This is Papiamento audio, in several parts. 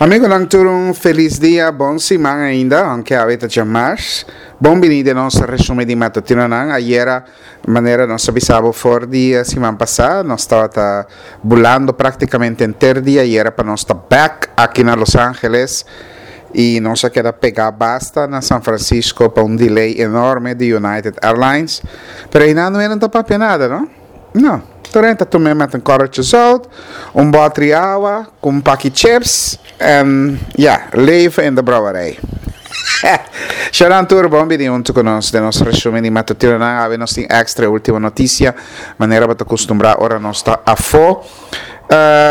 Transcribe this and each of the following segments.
Amigonan tur un felis dia, bon siman ainda, aunke awe ta djamars. Bon bini den nos resumen di matutinonan. Ayera, manera nos a bisa bo for di siman pasá, nos tabata bulando práktikamente henter dia ayera pa nos ta bèk aki na Los Angeles i nos a keda pegá basta na San Francisco pa un delay enorme di United Airlines. Pero einan no ta papia nada, no? No, tur hende ta tum'é met un korreltje zout, un bòtri awa ku un paki chips en ya, leven in de brouwerij. Sharon tur, bon bini huntu ku nos den nos resumen di matutinonan. Awe nos tin extra e ultimo notisia, manera bo ta kustumbrá ora nos ta afó.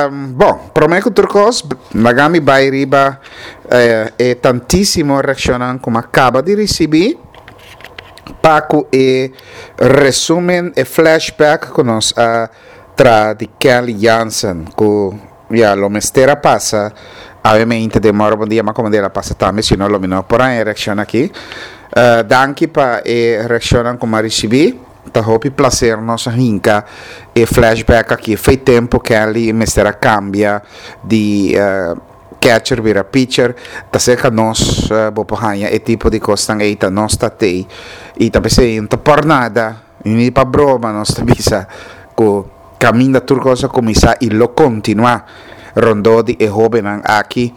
Bon, promé ku tur kos, laga mi bai riba e tantísimo reakshonnan ku mi a kaba di risibí pa ku e Resumen e flashback ku nos a traha di Kelly Jansen ku ya lo mester a pasa awe mente den moro bon dia ma komo el a pasa tambe si no lo mi no por haña e reakshon aki. Danki pa e reakshonnan ku mi a risibí. Ta hopi plaser nos a hinka e flashback aki. Fei tempu Kelly mester a kambia di Catcher bira pitcher, ta serka nos bo por haña e tipo di kosnan ei, ta nos ta tei i ta p'esei no ta por nada ni pa broma nos ta bisa ku kaminda tur kos a kuminsá i lo kontinuá rondó di e hóbennan aki.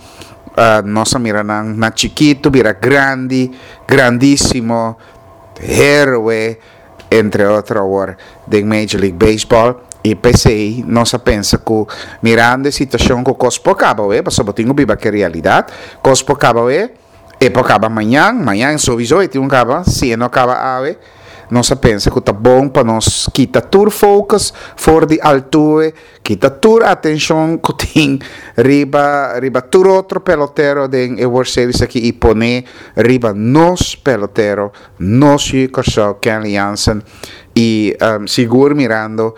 Nos a mira nan na chikitu bira grandi, grandísimo, héroe. entre otro awor den Major League Baseball y p'esey nos a pensa cu mirando e situacion cu cos por caba awe, pasobra bo tin cu biba cu e realidad, cos por caba awe, e por caba mañan, mañan sowiso e tin cu caba, si e no caba awe, nos a pensa cu ta bon pa nos kita tur focus for di Altuve, kita tur atencion cu tin riba riba tur otro pelotero den e World Series aki y pone riba nos pelotero Nos yu Kòrsou Kenley Jansen i sigur mirando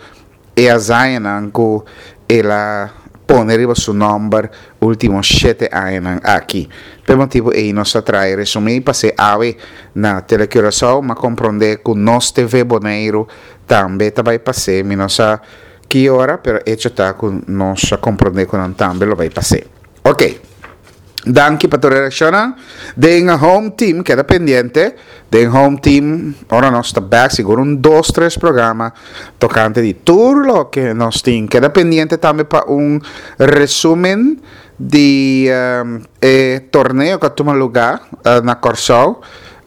e hazañanan ku el a pone riba su nòmber último shete añanan aki. P'e motibu ei nos a trae resumé i pas'é awe na Tele Curaçao. M'a komprondé ku Nos TV Boneiru tambe ta bai pas'é. Mi no sa ki ora, pero echo ta ku nos a komprondé ku nan tambe lo bai pas'é. Oke. Danki pa tur e reaccionnan. Den home team keda pendiente. Den home team ora nos ta back sigur un dos tres programa tocante di tur loke nos tin. Keda pendiente tambe pa un resumen di e torneo cu a tuma lugar na Corsou.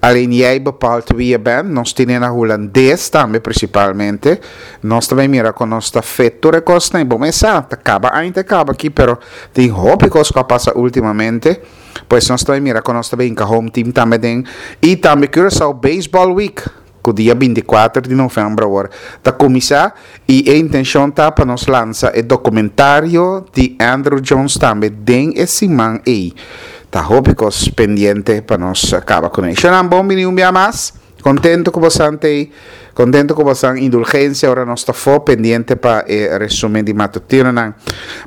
Alleen jij bepaalt wie je bent. Nos tine na Hulandes tambe principalmente. Nos ta bay mira con nos ta fit tur e cosnan. Bo mes sa, ta caba aña ta caba aki, pero tin hopi cos cu a pasa ultimamente. Pues nos ta bay mira con nos ta bay hinca home team tambe den. Y tambe Curaçao Baseball Week, cu dia 24 di november awor ta cuminsa. Y e intencion ta pa nos lansa e documentario di Andruw Jones tambe den e siman ey. Ta hopi cos pendiente pa nos caba cune. Shonan bon bini un bia mas. Contento cu bosan t'ey. Contento cu bosan indulgencia ora nos ta fo pendiente pa e resumen di matutinonan.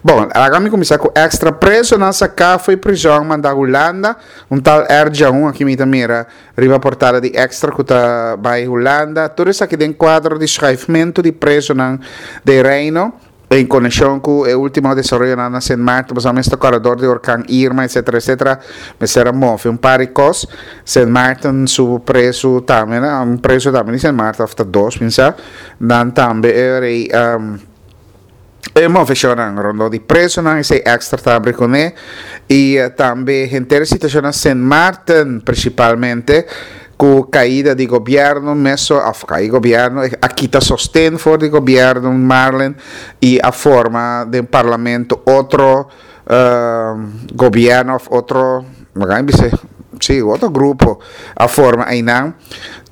Bon, laga mi cuminsa cu extra presonan saca fo'i prison manda Hulanda. Un tal Erjaun aki mi ta mira Riba portada di Extra ku ta bai Hulanda, tur esaki den kuadro di schuifmentu di presonan den Reino, en konekshon ku e último desaroyonan na Sint Maarten, pasobra mes ta kòrda dor di orkan Irma etcetera etcetera, mester a move un par di kos. Sint Maarten su presu tambe, un presu tambe di Sint Maarten òf ta dos mi sa, nan tambe e rei. E moveshonnan rondó di presonan esei extra ta abri kuné i tambe henter e situashon na Sint Maarten prinsipalmente ku kaida di gobièrnu meso òf kai gobièrnu a kita sosten for di gobièrnu Marlin i a forma den parlamento otro Gobierno of otro, si, otro grupo a forma einan.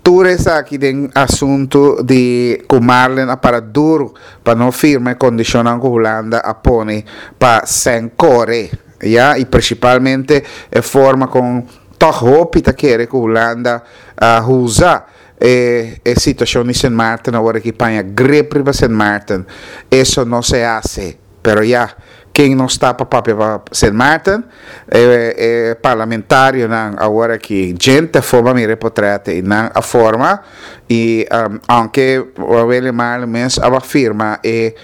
Tur esaki den asuntu di ku Marlin a para duru pa no firma e kondishonnan ku Hulanda a pone pa sèn kore, ya, i prinsipalmente e forma kon tòg hopi ta kere ku Hulanda a usa e e situashon di Sint Maarten awor aki paña grip riba Sint Maarten. Eso no se hase. Pero ya, ken nos ta pa papia pa Sint Maarten? E e parlamentarionan awor aki djente a forma mira e potret ei nan a forma y aunke William Marlin mes a firma e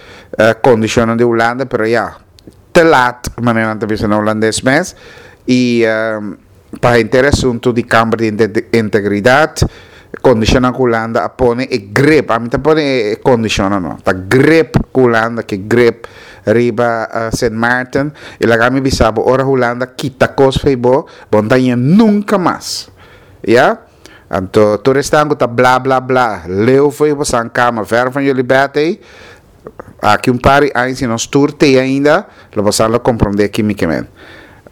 condicionnan di Hulanda pero ya. te laat, manera nan ta bisa na Hulandes mes, y pa henter e asunto di Kamber di Integridad, condicionnan cu Hulanda a pone, e grip, ami ta pone e condicionnan no, ta grip cu Hulanda ke grip riba Sint Maarten, y laga mi bisa bo, ora Hulanda kita cos fey bo, bo no ta haña nunca mas, ya. Anto tur esnan cu ta bla bla bla, leu fo'i bosan cama, ver van jullie bed ey, Aki un par di aña si nos tur t'ei ainda, lo bosan lo komprondé ki mi ke men.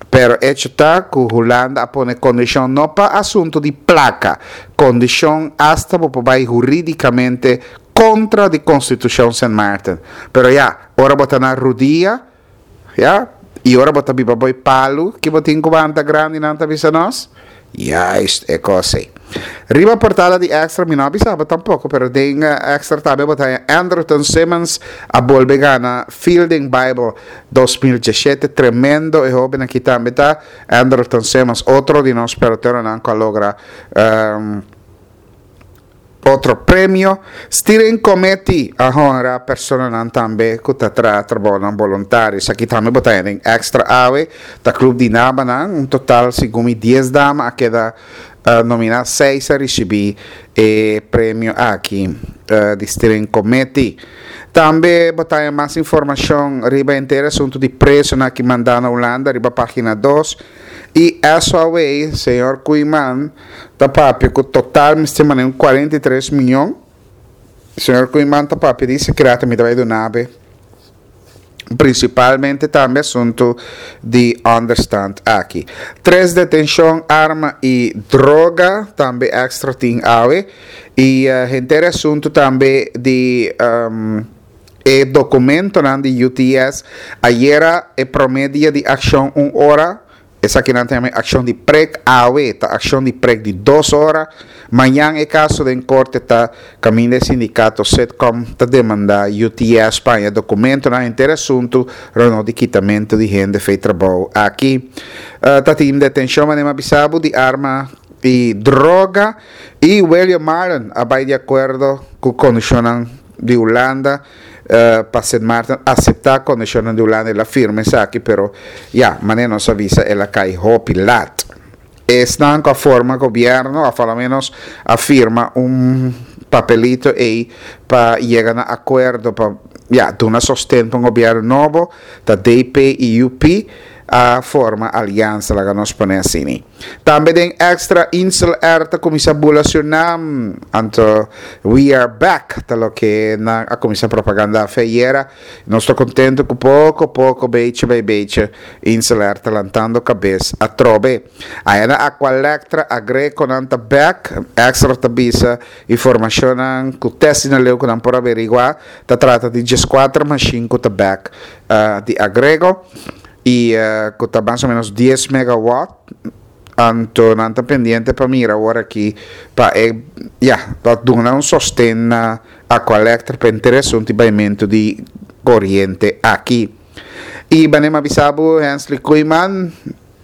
Pero echo ta ku Hulanda a pone kondishon no pa asuntu di plaka, kondishon asta bo por bai hurídikamente kontra di konstitushon Sint Maarten. Pero ya, ora bo ta na rudia, Ya, y ora bo ta biba boy palu ki bo tin cu banta grandi nan ta bisa nos? Juist e cos ey. Riba portada di Extra mi no a bisa bo tampoco pero den Extra tambe bo ta haña Andrelton Simmons a bolbe gana Fielding Bible 2017 tremendo e hoben aki tambe ta Andrelton Simmons otro di nos peloteronan cu a logra Otro premio, Steering Committee a honra personanan tambe cu ta traha trabounan boluntario. Esaki tambe bo ta haya den extra awe. Ta club di damanan, un total segun mi dies dama a keda nomina, seis a ricibi e premio aki di Steering Committee. Tambe bo ta haya mas informacion riba henter asunto di presonan aki manda na Hulanda riba pagina dos. Y SOA, señor Koeiman, ta papia cu total mester manda un 43 miyon. Señor Koeiman ta papia di secreto, mi ta bay dunabe. Principalmente tambe asunto di onderstand aki. Tres detencion, arma y droga, tambe extra tin awe. Y uh, henter asunto tambe di... Um, E documentonan di UTS ayera e prome dia di accion un ora, esakinan ta yama e accion di prek, awe ta accion di prek di dos ora, mañan e caso den corte ta caminda e sindicato Sitcom ta demanda UTS pa haña documentonan henter asunto rondó di kitamento di hende fey trabou aki. Ta tin detencion manera mi a bisa bo di arma y droga y William Marlin a bay di acuerdo cu condicionnan. di Hulanda pa Sint Maarten acepta condicionnan di Hulanda el a firma esaki pero ya manera nos a bisa el a cay hopi laat. Esnan cu a forma gobierno of a lo menos a firma un papelito ey pa yega na acuerdo pa ya duna sosten pa un gobierno nobo ta DP y UP a forma alianza laga nos pone asini. Tambe den Extra Insel Air ta cuminsa bula Surnam. Anto We are back ta loke nan a cuminsa propaganda afe ayera. Nos ta contento cu poco poco beche bay beche Insel Air ta lantando cabes atrobe. Aya na Aqualectra Agreconan ta back. Extra ta bisa informacionnan cu test di leu cu nan por averigua ta trata di diescuater machine cu ta back di Agrego. Y cu ta mas o menos dies megawatt, anto nan ta pendiente pa mira awor aki pa e, ya, pa duna un sosten na Aqualectra pa henter asunto di baimento di coriente aki. Y banema bisa bo Hensley Koeiman,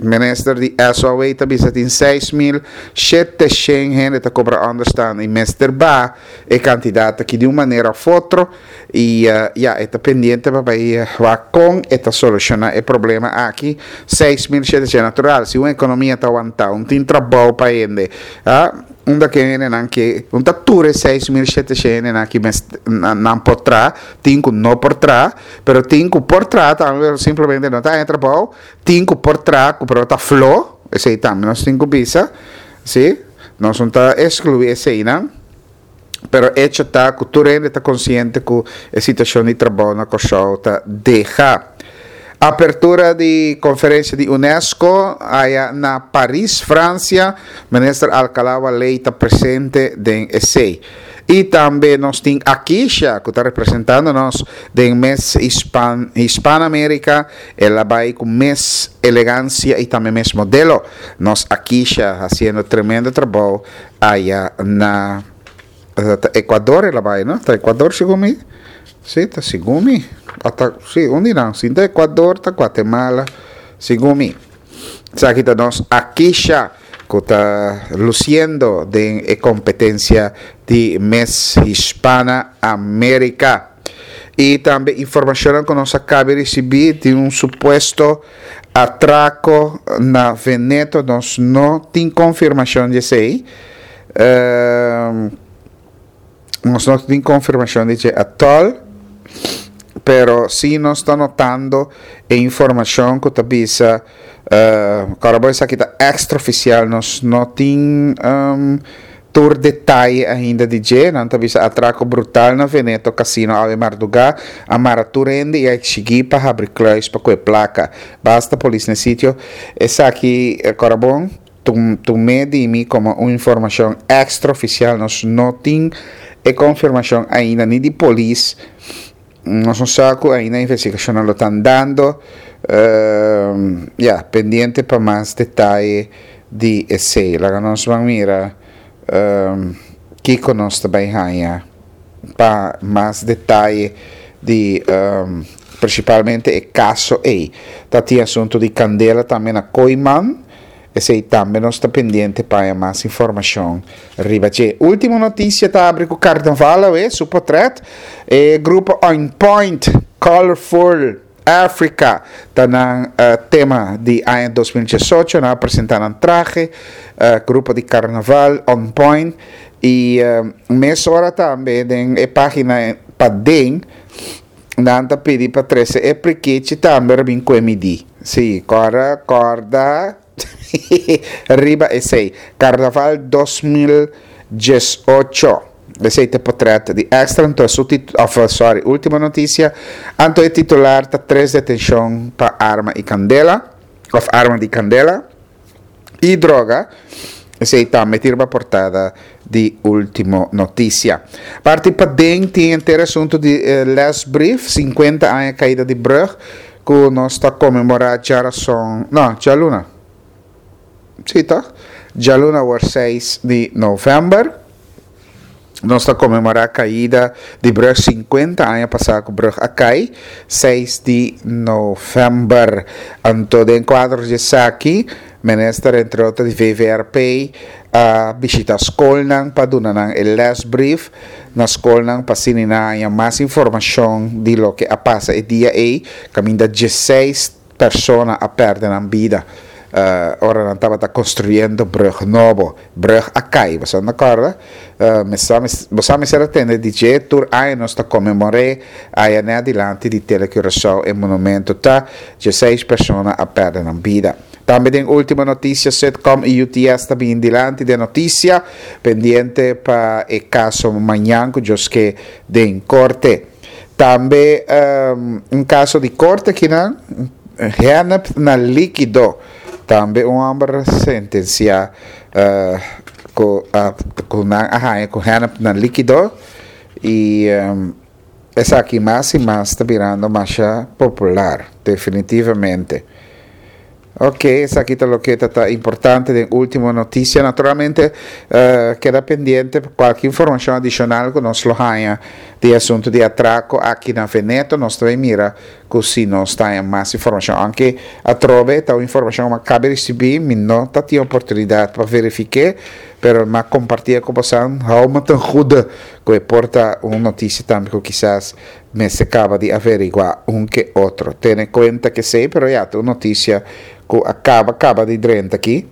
Minister di SOA ta bisa tin 6700 hende ta cobra onderstand y mester baha e cantidad aki di un manera of otro. Y ya, e ta pendiente pa bay wak con e ta soluciona e problema aki. 6700 natural, si un economia ta wanta, un tin trabao pa hende, ah, unda ke hendenan ke, un ta tur e 6700 hendenan aki mes, nan por traha, tin cu no por traha, pero tin cu por traha tambe, pero simplemente no ta haña trabao, tin cu por traha cu pero ta flo, esey tambe nos tin cu bisa, si, nos no ta exclui eseynan. Pero echo ta ku tur hende ta konsiente ku e situashon di trabou na Kòrsou ta deha. Apertura di konferensia di UNESCO aya na Paris, Fransia, Minister Alcalá Waley ta presente den esei. I tambe nos tin Akisha ku ta representando nos den Miss Hispan Hispanoamerica, el a bai ku Miss Elegancia i tambe Miss Modelo. Nos Akisha hasiendo tremendo trabou Aya na ta Ecuador el a bai no? Ta Ecuador segun mi? Si, ta segun mi. O ta, si, un di nan. Si ta Ecuador, ta Guatemala, segun mi. Esaki ta nos Akisha ku ta luciendo den e competencia di Miss Hispana America. I tambe informashonnan ku nos a kabe risibí di un supuesto atrako na Veneto. Nos no tin konfirmashon di esei. Nos no tin konfirmashon di dje atòl, pero sí nos ta notando e informashon ku ta bisa kòrda bo esaki ta èkstra ofisial, nos no tin tur detaye ainda di dje. Nan ta bisa atrako brutal na Veneto Casino awe mardugá, a mara tur hende i a eksigí pa habri kluis pa kohe plaka. Basta polis na e sitio. Esaki kòrda bon. Tum'é di mi komo un informashon èkstra ofisial. Nos no tin e konfirmashon ainda ni di polis. Nos no sa ku ainda investigashonnan lo ta andando. Ya, pendiente pa mas detaye di esei. Laga nos ban mira kiko nos ta bai haña pa mas detaye di prinsipalmente e kaso ei. Ta tin asuntu di kandela tambe na Kooiman. Esei tambe nos ta pendiente pa haña mas informashon riba dje. Último notisia ta abri ku Karnaval awe, su potrèt. E grupo On Point, Colorful Africa ta nan tema di aña 2018. Nan a presentá nan trahe, grupo di Karnaval On Point. I mesora tambe den e página paden nan ta pidi pa trese e prikichi tambe rabin ku e midí. Sí, kòrda, kòrda riba esei. Karnaval 2018. Esei ta e potrèt di Extra. Anto su tit, òf sòri, Ultimo Notisia. Anto e titular ta tres detenshon pa arma i kandela, òf arma di kandela i droga. Esei tambe tin riba portada di Ultimo Noticia. Parti paden tin henter asuntu di lesbrief, 50 aña kaida di brug, ku nos ta konmemorá djarason, no, djaluna. Sí, tòg? Djaluna awor seis di novèmber. Nos ta konmemorá kaida di brug 50 aña pasá ku brug a kai, seis di novèmber. Anto den kuadro di esaki, minister entre otro di VVRP a bishita skolnan pa duna nan e lesbrief na skolnan pa asina nan haña mas informashon di loke a pasa e dia ei, kaminda dieseis persona a pèrdè nan bida ora nan tabata konstruyendo brùg nobo. Brùg a kai, boso a kòrda? Mi sa, bo sa mester a tende di dje, tur aña nos ta konmemor'é aya nèt dilanti di Tele Curaçao e monumento ta, dieseis persona a pèrdè nan bida. Tambe den ultimo notisia Sitcom i UTS ta bini dilanti den notisia, pendiente pa e kaso mañan ku Djoske den korte. Tambe un kaso di korte kinan, hennep na likido. Tambe un hòmber sentensiá ku ku nan a haña ku hennep na likido i esaki mas i mas ta birando masha popular, definitivamente. Ok, esaki ta loke ta ta importante den ultimo noticia. Naturalmente, keda pendiente pa cualke informacion adicional cu nos lo haña di e asunto di atraco aki na Veneto. Nos ta bay mira cu si nos ta haña mas informacion. Aunke atrobe ta un informacion cu mi a cabe ricibi, mi no ta tin oportunidad pa verifique, pero mi a comparti cu bosan. Hou me ten goede cu e por ta un noticia tambe cu kisas Mester kaba di averiguá un ke otro. Tene kuenta kesei, pero ya ta un notisia ku a kaba kaba di drenta aki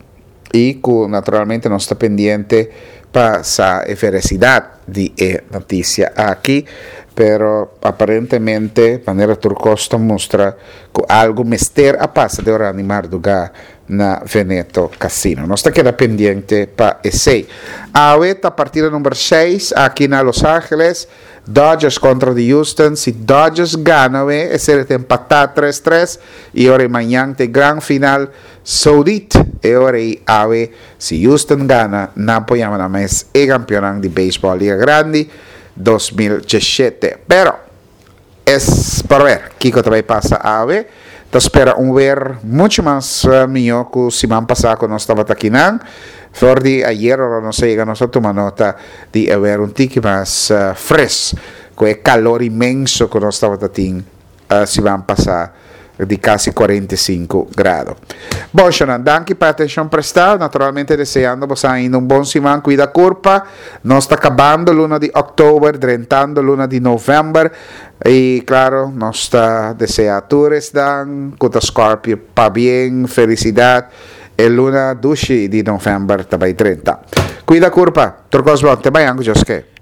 i ku naturalmente nos ta pendiente pa sa e veresidat di e notisia aki. Pero aparentemente manera tur kos ta mustra ku algu mester a pasa den ora di mardugá na Veneto Casino. Nos ta keda pendiente pa esei. Awe ta partida number seis aki na Los Angeles. Dodgers kontra di Houston, si Dodgers gana we e serie ta empatá tres tres i ora ei mañan ta e gran final Soudit e ora ei awe si Houston gana nan por yama nan mes e kampionnan di beisbòl Liga Grandi 2017 pero es por ber kiko ta bai pasa awe ta spera un wer muchu mas mihó ku siman pasá ku nos tabata akinan for di ayer ora nos a yega nos a tuma nota di e wer un tiki mas fres ku e kalor inmenso ku nos tabata tin siman pasá. di casi 45 grado. Bon shonan, danki pa e atencion presta. Naturalmente deseando boso ainda un bon siman. Cuida curpa. Nos ta cabando luna di october, drentando luna di november. Y claro, nos ta desea tur esnan cu ta Scorpio pabien, felicidad. E luna dushi di november ta bay drenta. Cuida curpa. Tur cos bon. Te mañan cu Dios ke.